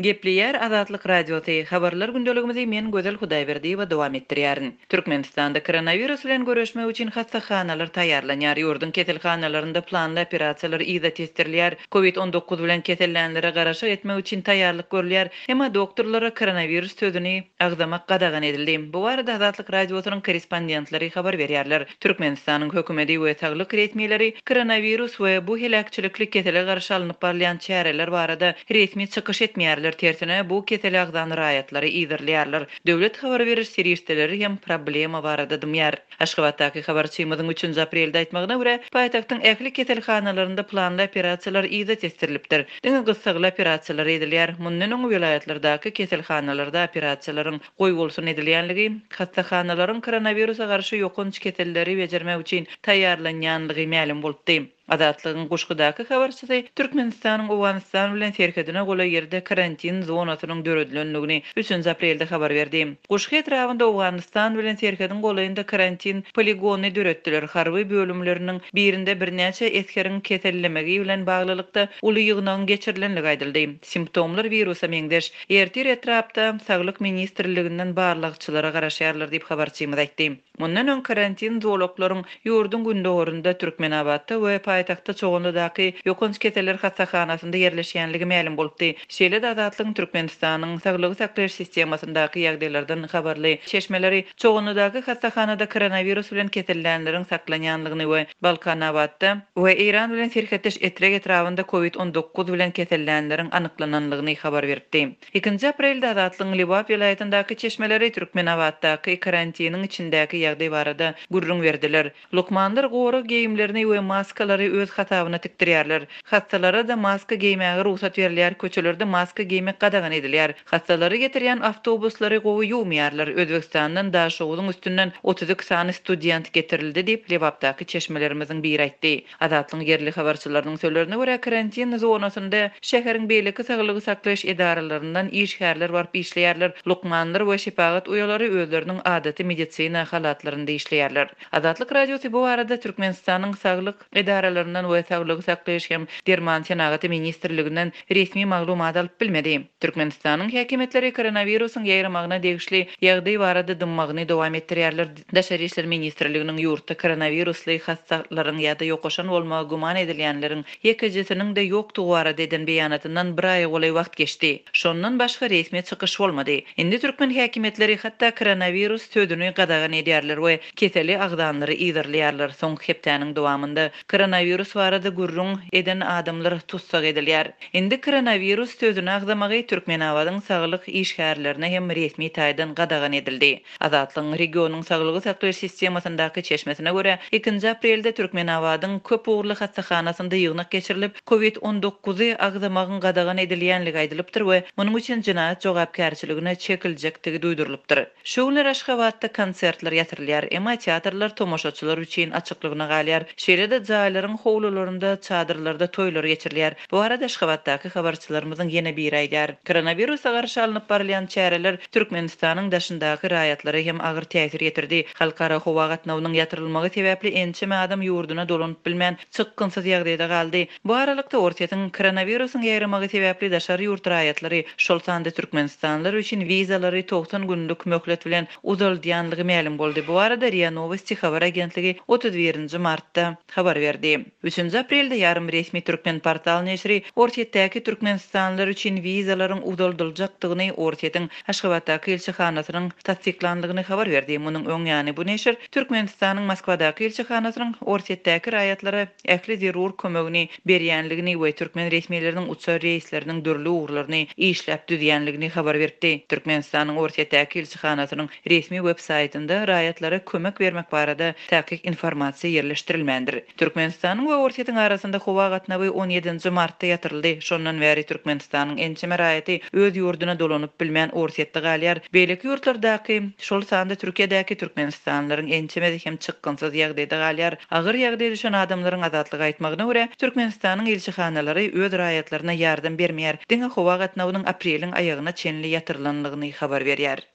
Gepleýär Azatlyk Radiosy, Habarlar gündeligimizi men Gözel Hudaýberdiýewa dowam etdirýärin. Türkmenistanda koronawirus bilen göreşmek üçin hassahanalar taýýarlanýar. Ýurduň keselhanalarynda planly operasiýalar yza tesdirilýär. Covid 19 bilen kesellänlere garaşyk etmek üçin taýýarlyk görülýär. Emma doktorlara koronawirus sözüni agzamak gadagan edildi. Bu barada Azatlyk Radiosynyň korrespondentleri habar berýärler. Türkmenistanyň hökümeti we saglyk resmileri koronawirus we bu heläkçilikli kesele garşy alnyp barylýan çäreler barada resmi çykyş etmeýärler, tersine, bu kesele agzan raýatlary yzarlaýarlar. Döwlet habar beriş serişdeleri hem problema barada dymýar. Aşgabatdaky habarçymyzyň üçünji aprelde aýtmagyna görä, paýtagtyň ähli keselhanalarynda planly operasiýalar yza tesdirilipdir. Diňe gyssagly operasiýalar edilýär. Mundan öň welaýatlardaky keselhanalarda operasiýalaryň goýbolsun edilýänligi, hassahanalaryň koronawirusa garşy ýokanç keselleri bejermek üçin taýýarlanýanlygy mälim bolupdy. Azatlygyň Guşgudaky habarçysy Türkmenistanyň Owganystan bilen serhedine golaý ýerde karantin zonasynyň döredilendigini üçünji aprelde habar berdi. Guşgy etrabynda Owganystan bilen serhediň golaýynda karantin poligonyny döretdiler. Harby bölümleriniň birinde birnäçe esgeriň kesellemegi bilen baglylykda uly ýygnagyň geçirilenligi aýdyldy. Simptomlar wirusa meňzeş. Ertir etrapda Saglyk ministrliginden barlagçylara garaşýarlar diýip, habarçymyz aýtdy. Mundan öň karantin zolaklaryň ýurduň gündogarynda Türkmenabatda we paýtagtda Çoganlydaky ýokanç keseller hassahanasynda ýerleşýänligi mälim bolupdy. Şeýle-de Azatlygyň Türkmenistanyň saglygy saklaýyş sistemasyndaky ýagdaýlardan habarly çeşmeleri Çoganlydaky hassahanada koronawirus bilen kesellänleriň saklanýanlygyny we Balkanabatda we Eýran bilen serhetdeş Etrek etrabynda covid 19 bilen kesellänleriň anyklananlygyny habar beripdi. Ikinji aprelde Azatlygyň Lebap welaýatyndaky çeşmeleri Türkmenabatdaky karantiniň içindäki ýagdaý barada gürrüň berdiler. Lukmanlar gorag geýimlerini we maskalary öz hasabyna tikdirýärler. Hassalara-da maska geýmäge rugsat berilýär, köçelerde maska geýmek gadagan edilýär. Hassalary getirýän awtobuslary gowy ýuwmaýarlar. Özbegistandan Daşoguzyň üstünden 32 sany student getirildi diýip, Lebapdaky çeşmelerimiziň biri aýtdy. Azatlygyň ýerli habarçylarynyň sözlerine görä, karantin zonasynda şäheriň beýleki saglygy saklaýyş edaralaryndan işgärler baryp işleýärler, lukmanlar we şepagat uýalary özleriniň adaty medisina halatlarynda işleýärler. Azatlyk Radiosy bu barada Türkmenistanyň Saglyk edaralaryndan we Saglygy saklaýyş hem derman senagaty ministrliginden resmi maglumat alyp bilmedi. Türkmenistanyň häkimiýetleri koronawirusyň ýaýramagyna degişli ýagdaý barada dymmagyny dowam etdirýärler. Daşary işler ministrliginiň ýurtda koronawirusly hassalaryň ýa-da ýokaşan bolmagy güman edilýänleriň ýekejesiniň-de ýokdugy barada eden beýanatyndan bir aýa golaý wagt geçdi. Şondan başga resmi çykyş bolmady. Indi türkmen häkimiýetleri hatda koronawirus sözüni gadagan edýärler we keseli agzanlary yzarlaýarlar. Soňky hepdäniň dowamynda koronawirus barada gürrüň eden adamlar tussag edilýär. Indi koronawirus sözüni agzamagy Türkmenabadyň saglyk işgärlerine hem resmi taýdan gadagan edildi. Azatlygyň regionyň saglygy saklaýyş sistemasyndaky çeşmesine görä, ikinji aprelde Türkmenabadyň köp ugurly hassahanasynda ýygnak geçirilip, covid 19-y agzamagyň gadagan edilýänligi aýdylypdyr we munuň üçin jenaýat jogapkärçiligine çekiljekdigi duýdurylypdyr. Şu günler Aşgabatda konsertler ýatyrylýar, emma teatrlar tomaşaçylar üçin açyklygyna galýar. Şeýle-de jaýlaryň howlularynda, çadyrlarda toýlar geçirilýär. Bu barada Aşgabatdaky habarçylarymyzyň ýene biri aýdýar. Koronawirusa garşy alnyp barylýan çäreler Türkmenistanyň daşyndaky raýatlara hem agyr täsir ýetirdi. Halkara howa gatnawynyň ýatyrylmagy sebäpli ençeme adam ýurduna dolanyp bilmän, çykgynsyz ýagdaýda galdy. Bu aralykda, Orsýetiň koronawirusyň ýaýramagy sebäpli daşary ýurt raýatlary, şol sanda türkmenistanlylar üçin wizalary 90 günlük möhlet bilen uzaldýanlygy mälim boldy. Bu barada ria Nowosti habar agentligi 31 nji martda habar berdi. Üçünji aprelde ýarym resmi Türkmenportal neşiri Orsýetdäki türkmenistanlylar üçin wizalaryň uzaldyljakdygyny Orsýetiň Aşgabatdaky ilçihanasynyň tassyklandygyny habar berdi. Munuň öň ýany bu neşir Türkmenistanyň Moskwadaky ilçihanasynyň Orsýetdäki raýatlara ähli zerur kömegini berýänligini we türkmen resmileriniň uçar reýsleriniň dürli ugurlaryny işläp düzýänligini habar beripdi. Türkmenistanyň Orsýetdäki ilçihanasynyň resmi web saýtynda raýatlara kömek bermek barada takyk informasiýa ýerleşdirilmändir. Türkmenistanyň we Orsýetiň arasynda howa gatnawy on ýedinji martda ýatyryldy. Şondan bäri Türkmenistanyň ençeme raýaty öz ýurduna dolanyp bilmän Orsýetde galýar. Beýleki ýurtlardaky, şol sanda Türkiýedäki türkmenistanlylaryň ençemesi hem çykgynsyz ýagdaýda galýar. Agyr ýagdaýa düşen adamlaryň Azatlyga aýtmagyna görä, Türkmenistanyň ilçihanalary öz raýatlaryna ýardam bermeýär, diňe howa gatnawynyň apreliň aýagyna çenli ýatyrylanlygyny habar berýär.